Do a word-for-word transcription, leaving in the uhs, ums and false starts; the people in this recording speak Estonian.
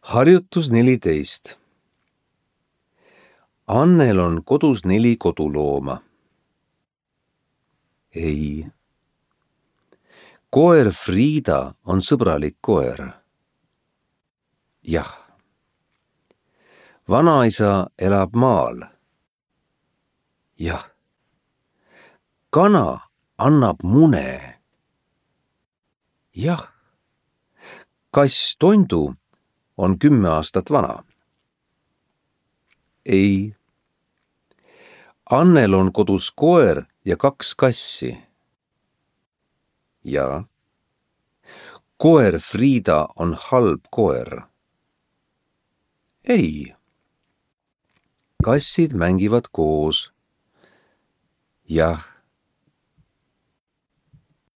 Harjutus neliteist. Annel on kodus neli kodulooma. Ei. Koer Friida on sõbralik koer. Jah. Vanaisa elab maal. Jah. Kana annab mune. Jah. Kass Tondu on kümme aastat vana. Ei. Annel on kodus koer ja kaks kassi. Ja. Koer Friida on halb koer. Ei. Kassid mängivad koos. Jah.